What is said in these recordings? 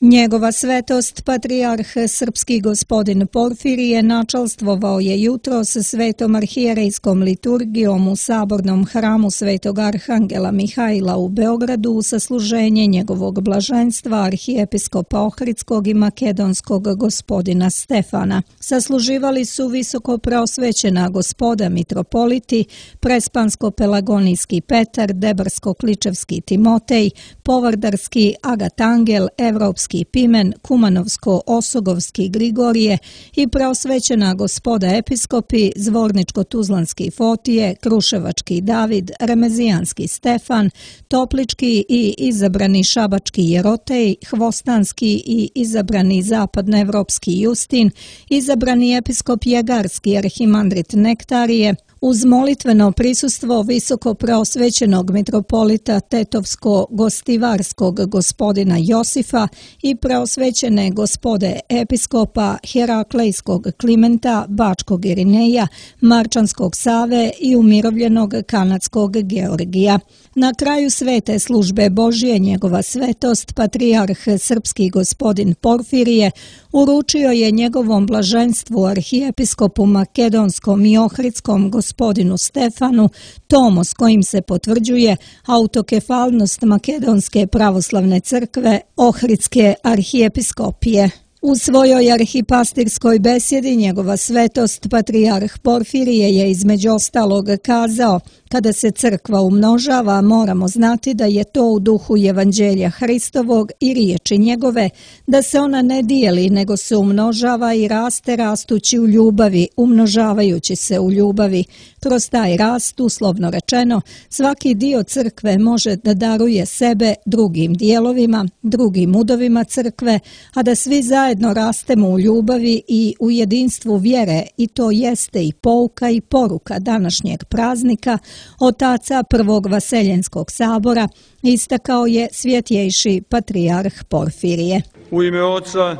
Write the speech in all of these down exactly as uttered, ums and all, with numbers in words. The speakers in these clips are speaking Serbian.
Njegova svetost, patrijarh srpski gospodin Porfirije, načalstvovao je jutros svetom arhijerejskom liturgijom u sabornom hramu svetog arhangela Mihajla u Beogradu u sasluženje njegovog blaženstva arhijepiskopa Ohridskog i makedonskog gospodina Stefana. Sasluživali su visoko preosvećena gospoda mitropoliti, prespansko-pelagonijski Petar, debarsko-kličevski Timotej, povardarski Agatangel, evropski Pimen, Kumanovsko-Osogovski Grigorije i preosvećena gospoda episkopi, Zvorničko-Tuzlanski Fotije, Kruševački David, Remezijanski Stefan, Toplički i izabrani Šabački Jerotej, Hvostanski i izabrani zapadnoevropski Justin, izabrani episkop Jegarski arhimandrit Nektarije, uz molitveno prisustvo visoko preosvećenog mitropolita Tetovsko-Gostivarskog gospodina Josifa i preosvećene gospode episkopa Heraklejskog Klimenta, Bačkog Irineja, Marčanskog Save i umirovljenog kanadskog Georgija. Na kraju svete službe Božije njegova svetost, patrijarh srpski gospodin Porfirije, uručio je njegovom blaženstvu arhijepiskopu makedonskom i ohridskom gospodinu Stefanu tomo s kojim se potvrđuje autokefalnost Makedonske pravoslavne crkve Ohridske arhijepiskopije. U svojoj arhipastirskoj besjedi njegova svetost, patrijarh Porfirije, je između ostalog kazao: kada se crkva umnožava, moramo znati da je to u duhu Evanđelja Hristovog i riječi njegove, da se ona ne dijeli, nego se umnožava i raste rastući u ljubavi, umnožavajući se u ljubavi. Kroz taj rast, uslovno rečeno, svaki dio crkve može da daruje sebe drugim dijelovima, drugim udovima crkve, a da svi zajedno rastemo u ljubavi i u jedinstvu vjere, i to jeste i pouka i poruka današnjeg praznika, otaca Prvog Vaseljenskog sabora, istakao je svjetjejši patrijarh Porfirije. U ime Oca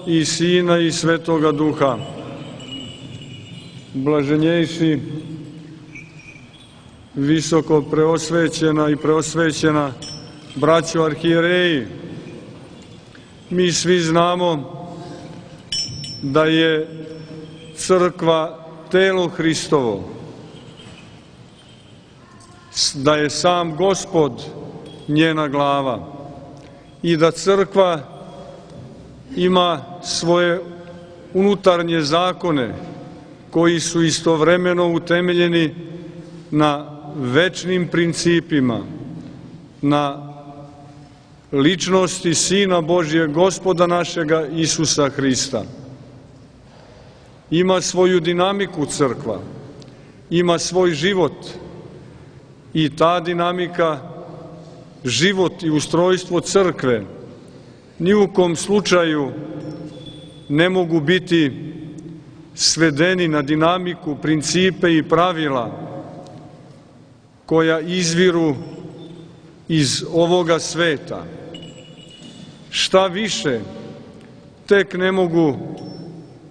i Sina i Svetoga Duha. Blaženjejši, visoko preosvećena i preosvećena braćo arhijereji, mi svi znamo da je crkva telo Hristovo, da je sam Gospod njena glava i da crkva ima svoje unutarnje zakone koji su istovremeno utemeljeni na večnim principima, na ličnosti Sina Božjeg, Gospoda našega Isusa Hrista. Ima svoju dinamiku crkva, ima svoj život i ta dinamika, život i ustrojstvo crkve ni u kom slučaju ne mogu biti svedeni na dinamiku, principe i pravila koja izviru iz ovoga sveta. Šta više, tek ne mogu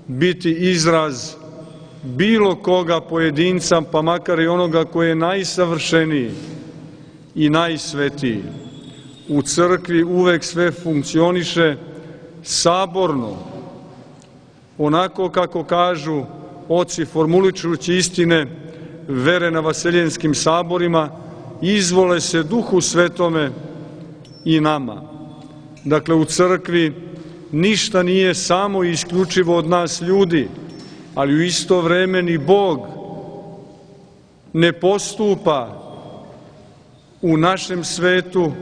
biti izraz bilo koga pojedinca, pa makar i onoga koji je najsavršeniji i najsvetiji. U crkvi uvek sve funkcioniše saborno, onako kako kažu oci formuličući istine vere na vaseljenskim saborima, izvole se Duhu Svetome i nama. Dakle, u crkvi ništa nije samo i isključivo od nas ljudi, ali u isto vreme ni Bog ne postupa u našem svetu,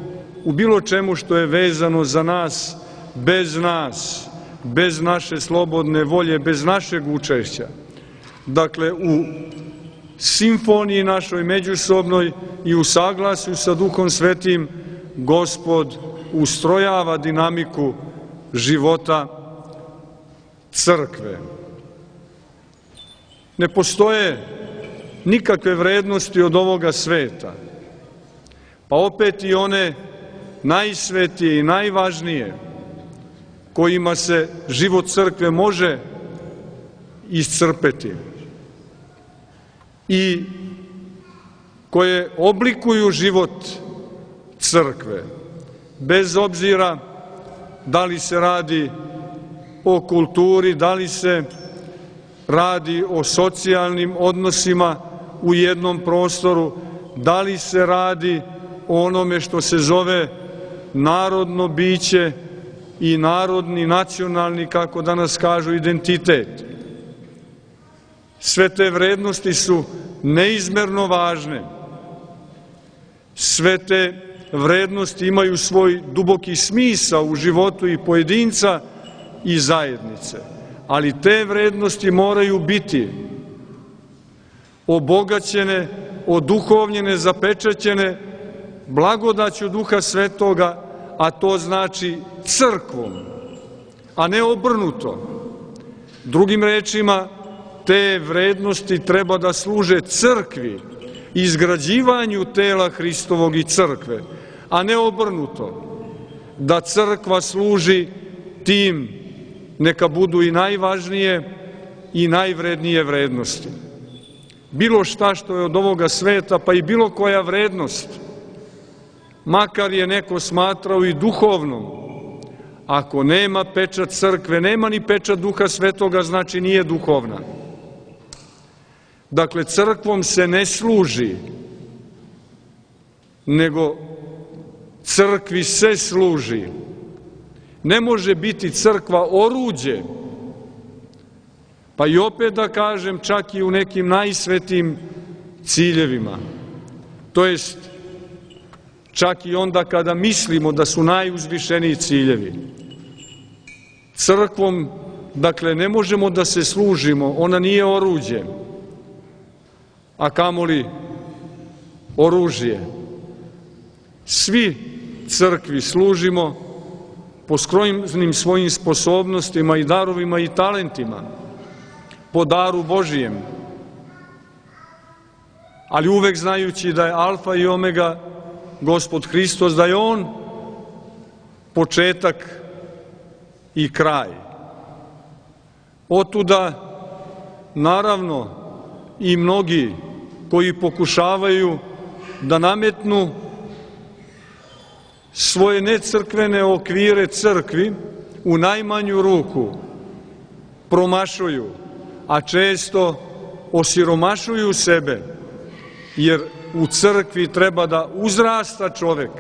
u bilo čemu što je vezano za nas, bez nas, bez naše slobodne volje, bez našeg učešća. Dakle, u simfoniji našoj međusobnoj i u saglasju sa Duhom Svetim, Gospod ustrojava dinamiku života crkve. Ne postoje nikakve vrednosti od ovoga sveta, pa opet i one najsvetije i najvažnije, kojima se život crkve može iscrpeti i koje oblikuju život crkve, bez obzira da li se radi o kulturi, da li se radi o socijalnim odnosima u jednom prostoru, da li se radi o onome što se zove narodno biće i narodni, nacionalni, kako danas kažu, identitet. Sve te vrednosti su neizmerno važne. Sve te vrednosti imaju svoj duboki smisao u životu i pojedinca i zajednice. Ali te vrednosti moraju biti obogaćene, oduhovljene, zapečaćene blagodaću Duha Svetoga, a to znači crkvom, a ne obrnuto. Drugim rečima, te vrednosti treba da služe crkvi, izgrađivanju tela Hristovog i crkve, a ne obrnuto, da crkva služi tim, neka budu i najvažnije i najvrednije vrednosti. Bilo šta što je od ovoga sveta, pa i bilo koja vrednost, makar je neko smatrao i duhovnom, ako nema pečat crkve, nema ni pečat Duha Svetoga, znači nije duhovna. Dakle, crkvom se ne služi, nego crkvi se služi. Ne može biti crkva oruđe, pa i opet da kažem, čak i u nekim najsvetijim ciljevima. To jest, čak i onda kada mislimo da su najuzvišeniji ciljevi. Crkvom, dakle, ne možemo da se služimo, ona nije oruđe, a kamoli oružje. Svi crkvi služimo po skromnim svojim sposobnostima i darovima i talentima, po daru Božijem, ali uvek znajući da je alfa i omega Gospod Hristos, da je On početak i kraj. Otuda, naravno, i mnogi koji pokušavaju da nametnu svoje necrkvene okvire crkvi, u najmanju ruku promašuju, a često osiromašuju sebe, jer u crkvi treba da uzrasta čovek,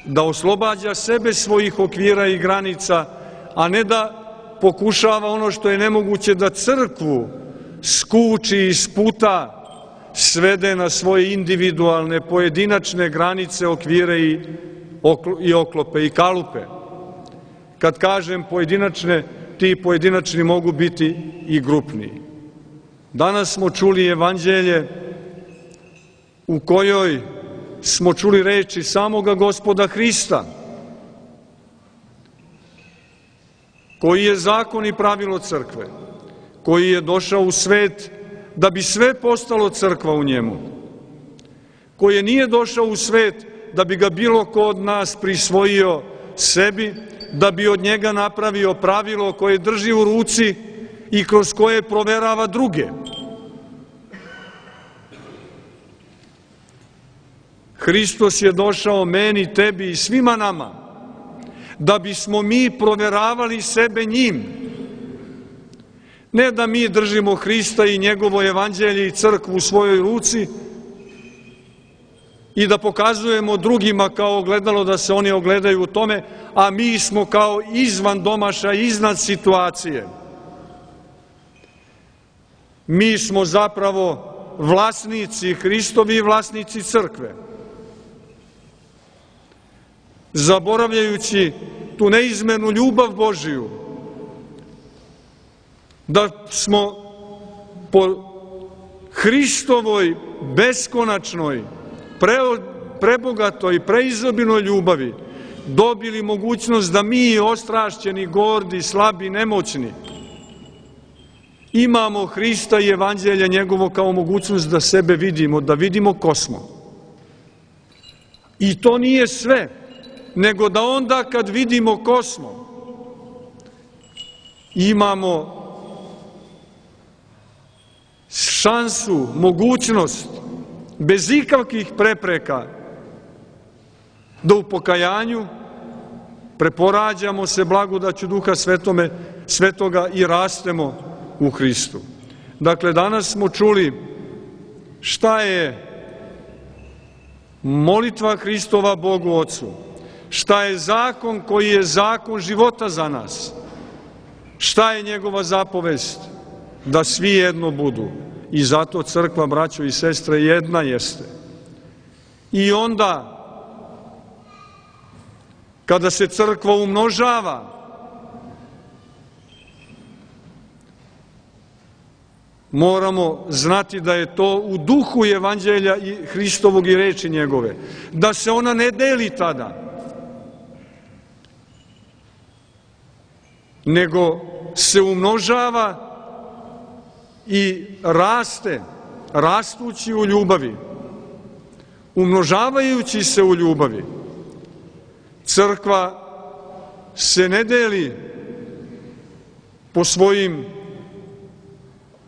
da oslobađa sebe svojih okvira i granica, a ne da pokušava ono što je nemoguće, da crkvu skuči i sputa, svede na svoje individualne, pojedinačne granice, okvire i, i oklope i kalupe. Kad kažem pojedinačne, ti pojedinačni mogu biti i grupni. Danas smo čuli evanđelje u kojoj smo čuli reči samoga Gospoda Hrista, koji je zakon i pravilo crkve, koji je došao u svet da bi sve postalo crkva u njemu, koji nije došao u svet da bi ga bilo ko od nas prisvojio sebi, da bi od njega napravio pravilo koje drži u ruci i kroz koje proverava druge. Hristos je došao meni, tebi i svima nama, da bismo mi proveravali sebe njim. Ne da mi držimo Hrista i njegovo evanđelje i crkvu u svojoj ruci i da pokazujemo drugima kao ogledalo da se oni ogledaju u tome, a mi smo kao izvan domaša, iznad situacije. Mi smo zapravo vlasnici Hristovi i vlasnici crkve. Zaboravljajući tu neizmernu ljubav Božiju, da smo po Hristovoj beskonačnoj, pre, prebogatoj, preizobilnoj ljubavi dobili mogućnost da mi, ostrašćeni, gordi, slabi, nemoćni, imamo Hrista i evanđelje njegovo kao mogućnost da sebe vidimo, da vidimo ko smo. I to nije sve, nego da onda kad vidimo ko smo, imamo šansu, mogućnost, bez ikakvih prepreka, da u pokajanju preporađamo se blagodaću Duha Svetome, Svetoga i rastemo u Hristu. Dakle, danas smo čuli šta je molitva Hristova Bogu Ocu, šta je zakon koji je zakon života za nas, šta je njegova zapovest, da svi jedno budu. I zato crkva, braćo i sestre, jedna jeste. I onda, kada se crkva umnožava, moramo znati da je to u duhu Evanđelja i Hristovog i reči njegove, da se ona ne deli tada, nego se umnožava i raste, rastući u ljubavi, umnožavajući se u ljubavi. Crkva se ne deli po svojim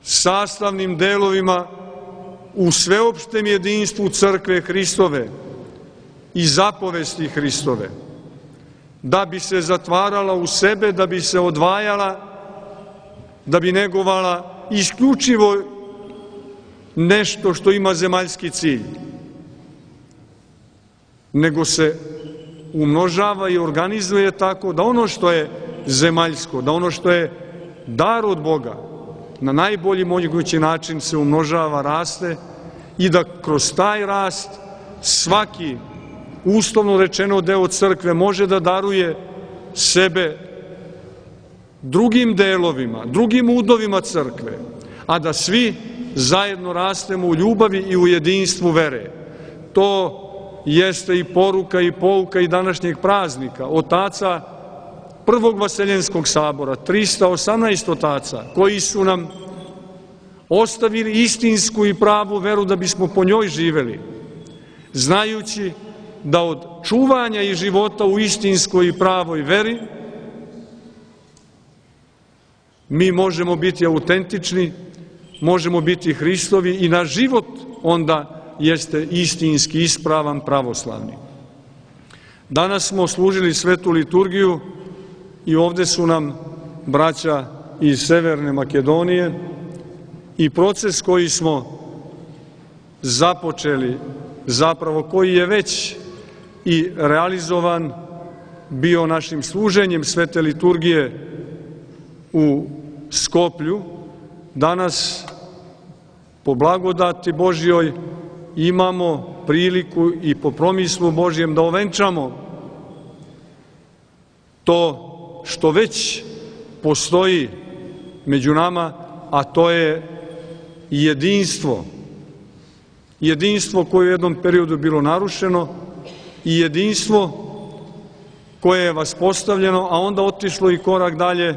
sastavnim delovima u sveopštem jedinstvu crkve Hristove i zapovesti Hristove, da bi se zatvarala u sebe, da bi se odvajala, da bi negovala isključivo nešto što ima zemaljski cilj, nego se umnožava i organizuje tako da ono što je zemaljsko, da ono što je dar od Boga, na najbolji mogući način se umnožava, raste i da kroz taj rast svaki, uslovno rečeno, deo crkve može da daruje sebe drugim delovima, drugim udovima crkve, a da svi zajedno rastemo u ljubavi i u jedinstvu vere. To jeste i poruka i pouka i današnjeg praznika, otaca Prvog Vaseljenskog sabora, trista osamnaest otaca, koji su nam ostavili istinsku i pravu veru da bismo po njoj živeli, znajući da od čuvanja i života u istinskoj i pravoj veri mi možemo biti autentični, možemo biti Hristovi i naš život onda jeste istinski ispravan, pravoslavni. Danas smo služili svetu liturgiju i ovde su nam braća iz Severne Makedonije i proces koji smo započeli, zapravo koji je već i realizovan bio našim služenjem svete liturgije u Skoplju, danas po blagodati Božjoj imamo priliku i po promislu Božjem da ovenčamo to što već postoji među nama, a to je jedinstvo. Jedinstvo koje je u jednom periodu bilo narušeno i jedinstvo koje je vaspostavljeno, a onda otišlo i korak dalje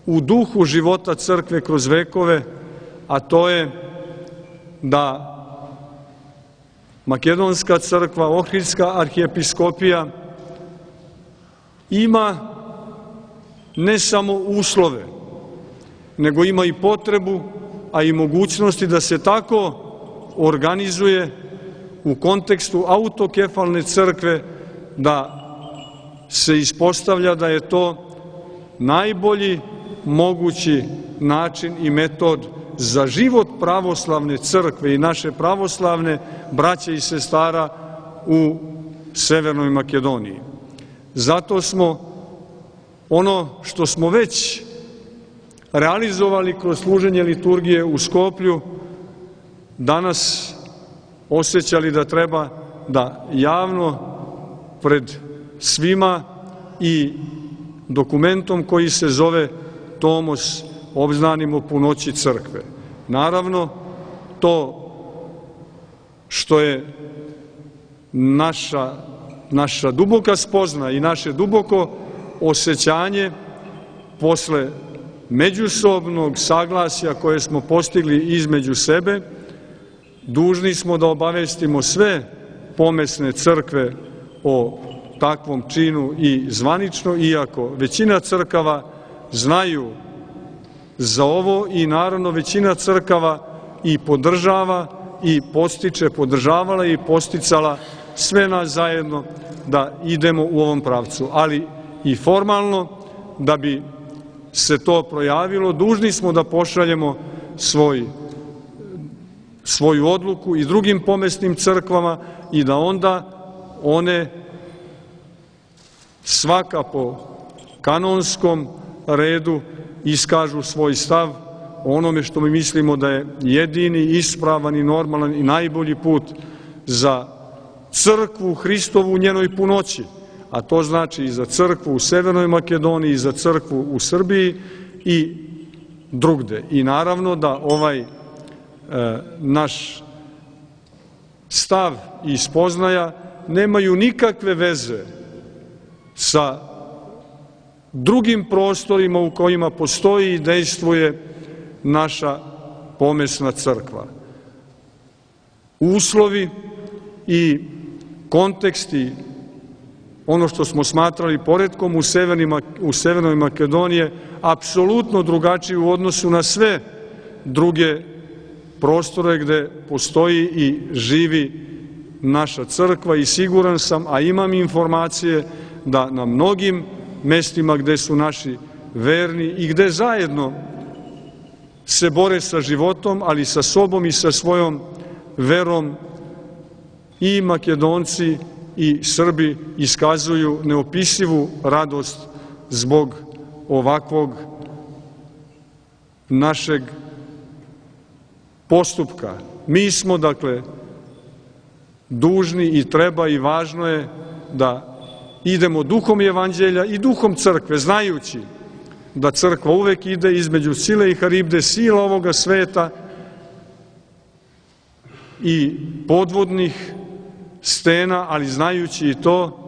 u duhu života crkve kroz vekove, a to je da Makedonska crkva, Ohridska arhijepiskopija ima ne samo uslove, nego ima i potrebu, a i mogućnosti da se tako organizuje u kontekstu autokefalne crkve, da se ispostavlja da je to najbolji mogući način i metod za život pravoslavne crkve i naše pravoslavne braće i sestara u Severnoj Makedoniji. Zato smo ono što smo već realizovali kroz služenje liturgije u Skoplju danas osjećali da treba da javno pred svima i dokumentom koji se zove Tomos obznanimo punoći crkve. Naravno, to što je naša, naša duboka spozna i naše duboko osjećanje posle međusobnog saglasja koje smo postigli između sebe, dužni smo da obavestimo sve pomesne crkve o takvom činu i zvanično, iako većina crkava znaju za ovo i naravno većina crkava i podržava i postiče, podržavala i posticala sve nas zajedno da idemo u ovom pravcu. Ali i formalno, da bi se to projavilo, dužni smo da pošaljemo svoj, svoju odluku i drugim pomesnim crkvama i da onda one svaka po kanonskom redu iskažu svoj stav o onome što mi mislimo da je jedini, ispravan i normalan i najbolji put za crkvu Hristovu u njenoj punoći, a to znači i za crkvu u Severnoj Makedoniji, i za crkvu u Srbiji i drugde. I naravno da ovaj e, naš stav i spoznaja nemaju nikakve veze sa drugim prostorima u kojima postoji i dejstvuje naša pomesna crkva. Uslovi i konteksti, ono što smo smatrali poretkom u Severnoj Makedoniji, apsolutno drugačiji u odnosu na sve druge prostore gde postoji i živi naša crkva i siguran sam, a imam informacije da na mnogim mestima gde su naši verni i gde zajedno se bore sa životom, ali sa sobom i sa svojom verom, i Makedonci i Srbi iskazuju neopisivu radost zbog ovakvog našeg postupka. Mi smo, dakle, dužni i treba i važno je da idemo duhom evanđelja i duhom crkve, znajući da crkva uvek ide između sile i haribde, sila ovoga sveta i podvodnih stena, ali znajući i to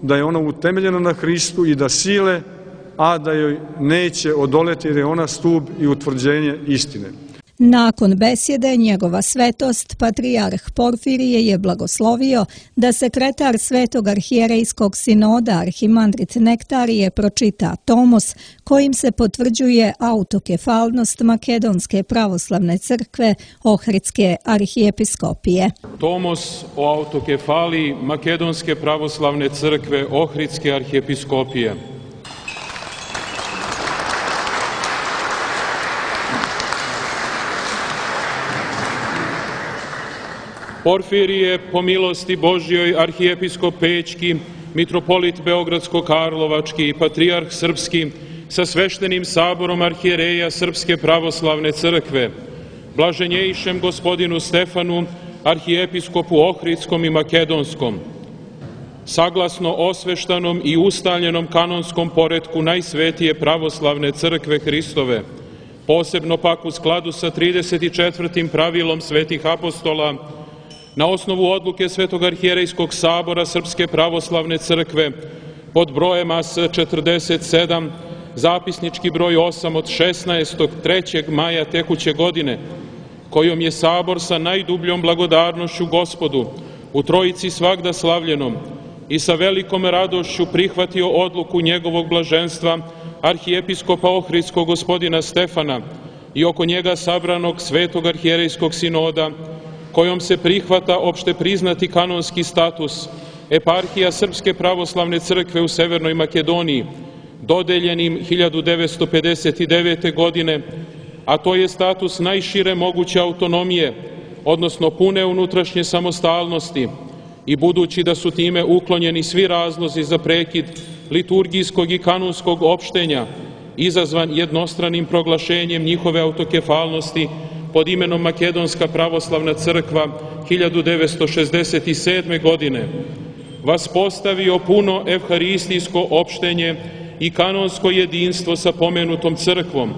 da je ona utemeljena na Hristu i da sile, a da joj neće odoleti jer je ona stub i utvrđenje istine. Nakon besjede, njegova svetost, patrijarh Porfirije je blagoslovio da sekretar Svetog arhijerejskog sinoda arhimandrit Nektarije pročita tomos kojim se potvrđuje autokefalnost Makedonske pravoslavne crkve Ohridske arhijepiskopije. Tomos o autokefaliji Makedonske pravoslavne crkve Ohridske arhijepiskopije. Porfirije, po milosti Božjoj, arhijepiskop Pećki, mitropolit Beogradsko-Karlovački i patrijarh Srpski sa sveštenim saborom arhijereja Srpske pravoslavne crkve, blaženjejšem gospodinu Stefanu, arhijepiskopu Ohridskom i Makedonskom, saglasno osveštanom i ustaljenom kanonskom poretku najsvetije pravoslavne crkve Hristove, posebno pak u skladu sa trideset četvrtim pravilom svetih apostola, na osnovu odluke Svetog arhijerejskog sabora Srpske pravoslavne crkve pod brojem A S četrdeset sedam, zapisnički broj osam od šesnaestog trećeg maja tekuće godine, kojom je sabor sa najdubljom blagodarnošću Gospodu u Trojici svagda slavljenom i sa velikom radošću prihvatio odluku njegovog blaženstva arhijepiskopa Ohridskog gospodina Stefana i oko njega sabranog Svetog arhijerejskog sinoda, kojom se prihvata opšte priznati kanonski status eparhija Srpske pravoslavne crkve u Severnoj Makedoniji, dodeljenim hiljadu devetsto pedeset devete. godine, a to je status najšire moguće autonomije, odnosno pune unutrašnje samostalnosti, i budući da su time uklonjeni svi razlozi za prekid liturgijskog i kanonskog opštenja, izazvan jednostranim proglašenjem njihove autokefalnosti pod imenom Makedonska pravoslavna crkva hiljadu devetsto šezdeset sedme. godine, vaspostavio puno evharistijsko opštenje i kanonsko jedinstvo sa pomenutom crkvom,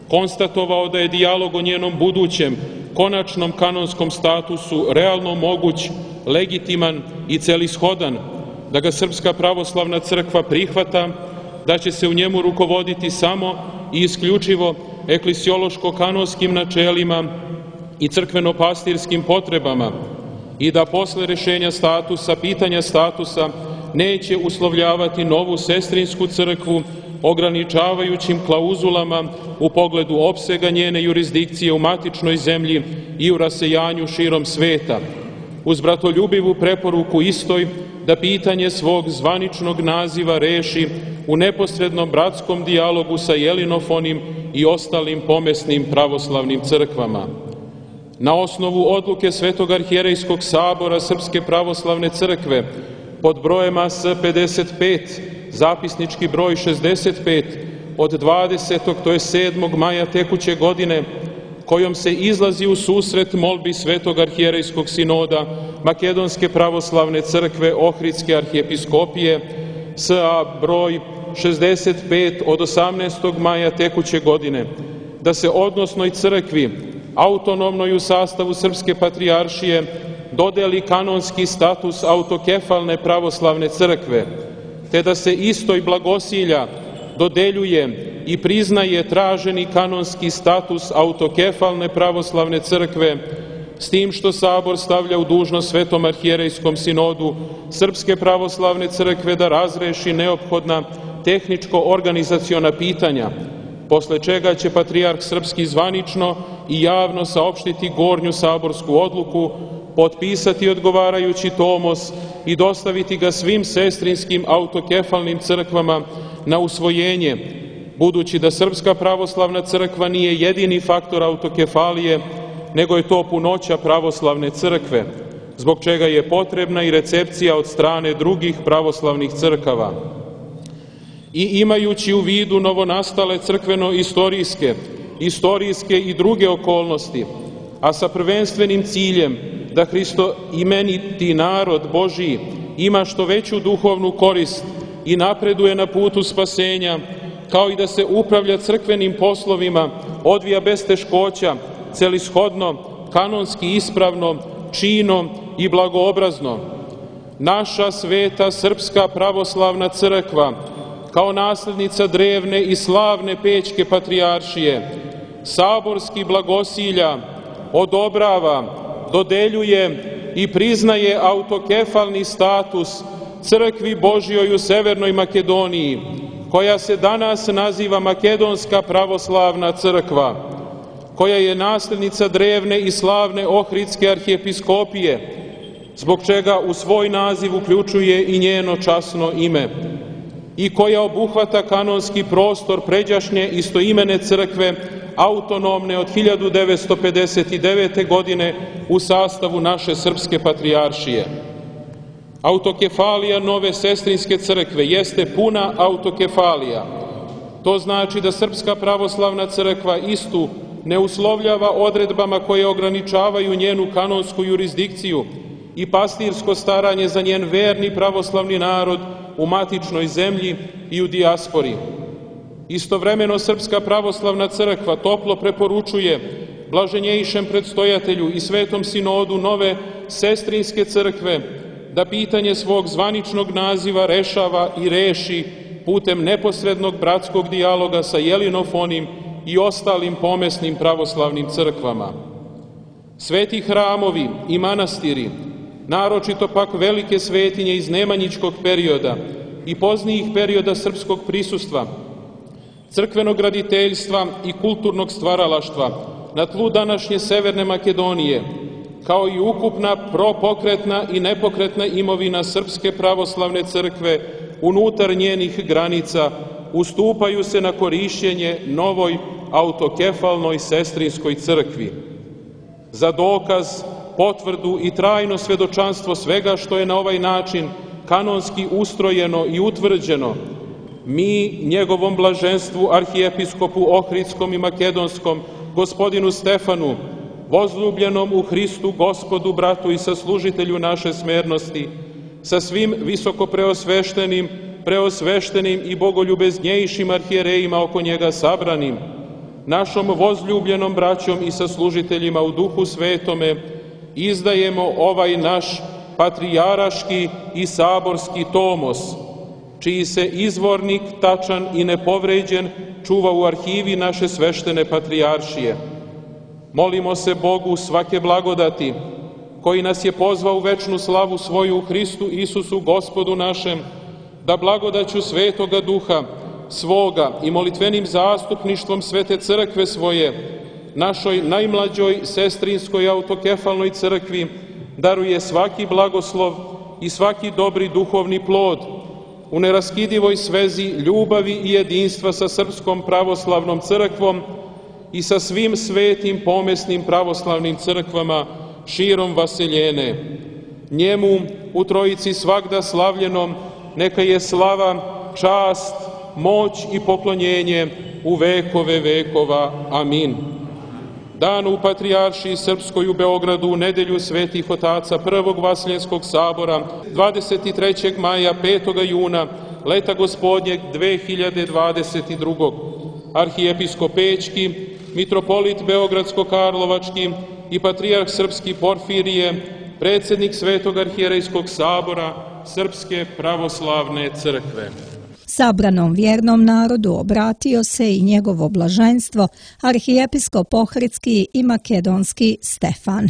konstatovao da je dijalog o njenom budućem, konačnom kanonskom statusu realno moguć, legitiman i celishodan, da ga Srpska pravoslavna crkva prihvata, da će se u njemu rukovoditi samo i isključivo eklisiološko-kanonskim načelima i crkveno-pastirskim potrebama i da posle rešenja statusa, pitanja statusa, neće uslovljavati novu sestrinsku crkvu ograničavajućim klauzulama u pogledu opsega njene jurisdikcije u matičnoj zemlji i u rasejanju širom sveta. uz bratoljubivu preporuku istoj da pitanje svog zvaničnog naziva reši u neposrednom bratskom dijalogu sa jelinofonim i ostalim pomesnim pravoslavnim crkvama. Na osnovu odluke Svetog arhijerejskog sabora Srpske pravoslavne crkve pod brojem A S pedeset pet, zapisnički broj šezdeset pet, od dvadesetog to je sedmog maja tekuće godine, kojom se izlazi u susret molbi Svetog arhijerejskog sinoda Makedonske pravoslavne crkve Ohridske arhijepiskopije S A broj šezdeset pet od osamnaestog maja tekuće godine, da se odnosnoj crkvi, autonomnoj u sastavu Srpske patrijaršije, dodeli kanonski status autokefalne pravoslavne crkve, te da se istoj blagosilja dodeljuje i priznaje traženi kanonski status autokefalne pravoslavne crkve, s tim što Sabor stavlja u dužnost Svetom arhijerejskom sinodu Srpske pravoslavne crkve da razreši neophodna tehničko-organizaciona pitanja, posle čega će Patrijarh Srpski zvanično i javno saopštiti gornju saborsku odluku, potpisati odgovarajući tomos i dostaviti ga svim sestrinskim autokefalnim crkvama na usvojenje, budući da Srpska pravoslavna crkva nije jedini faktor autokefalije, nego je to punoća pravoslavne crkve, zbog čega je potrebna i recepcija od strane drugih pravoslavnih crkava. I imajući u vidu novonastale crkveno-istorijske, istorijske i druge okolnosti, a sa prvenstvenim ciljem da hristoimeniti narod Božiji ima što veću duhovnu korist i napreduje na putu spasenja, kao i da se upravlja crkvenim poslovima, odvija bez teškoća, celishodno, kanonski ispravno, čino i blagoobrazno. Naša sveta Srpska pravoslavna crkva, kao naslednica drevne i slavne Pećke patrijaršije, saborski blagosilja, odobrava, dodeljuje i priznaje autokefalni status crkvi Božjoj u Severnoj Makedoniji, koja se danas naziva Makedonska pravoslavna crkva, koja je naslednica drevne i slavne Ohridske arhijepiskopije, zbog čega u svoj naziv uključuje i njeno časno ime, i koja obuhvata kanonski prostor pređašnje istoimene crkve, autonomne od hiljadu devetsto pedeset devete. godine u sastavu naše Srpske patrijaršije. Autokefalija nove sestrinske crkve jeste puna autokefalija. To znači da Srpska pravoslavna crkva istu ne uslovljava odredbama koje ograničavaju njenu kanonsku jurisdikciju i pastirsko staranje za njen verni pravoslavni narod u matičnoj zemlji i u dijaspori. Istovremeno Srpska pravoslavna crkva toplo preporučuje blaženjejšem predstojatelju i Svetom sinodu nove sestrinske crkve da pitanje svog zvaničnog naziva rešava i reši putem neposrednog bratskog dijaloga sa jelinofonim i ostalim pomesnim pravoslavnim crkvama. Sveti hramovi i manastiri, naročito pak velike svetinje iz nemanjičkog perioda i poznijih perioda srpskog prisustva, crkvenog graditeljstva i kulturnog stvaralaštva na tlu današnje Severne Makedonije, kao i ukupna propokretna i nepokretna imovina Srpske pravoslavne crkve unutar njenih granica, ustupaju se na korišćenje novoj autokefalnoj sestrinskoj crkvi. Za dokaz, potvrdu i trajno svedočanstvo svega što je na ovaj način kanonski ustrojeno i utvrđeno, mi njegovom blaženstvu arhijepiskopu Ohridskom i Makedonskom, gospodinu Stefanu, возljubljenom u Hristu, Gospodu, bratu i saslužitelju naše smernosti, sa svim visoko preosveštenim, preosveštenim i bogoljubeznjejšim arhijerejima oko njega sabranim, našom возljubljenom braćom i saslužiteljima u Duhu Svetome, izdajemo ovaj naš patrijaraški i saborski tomos, čiji se izvornik tačan i nepovređen čuva u arhivi naše sveštene patrijaršije. Molimo se Bogu svake blagodati, koji nas je pozvao u večnu slavu svoju u Hristu Isusu Gospodu našem, da blagodaću Svetoga Duha svoga i molitvenim zastupništvom Svete crkve svoje, našoj najmlađoj sestrinskoj autokefalnoj crkvi, daruje svaki blagoslov i svaki dobri duhovni plod u neraskidivoj svezi ljubavi i jedinstva sa Srpskom pravoslavnom crkvom i sa svim svetim pomesnim pravoslavnim crkvama širom vaseljene. Njemu, u Trojici svagda slavljenom, neka je slava, čast, moć i poklonjenje u vekove vekova. Amin. Dan u Patrijaršiji Srpskoj u Beogradu u nedelju svetih otaca Prvog Vaseljenskog sabora dvadeset trećeg maja, petog juna, leta gospodnjeg dve hiljade dvadeset drugog. Arhijepiskop Pećki, mitropolit Beogradsko-Karlovački i patrijarh Srpski Porfirije, predsjednik Svetog arhijerejskog sabora Srpske pravoslavne crkve. Sabranom vjernom narodu obratio se i njegovo blaženstvo arhijepiskop Ohridski i makedonski Stefan.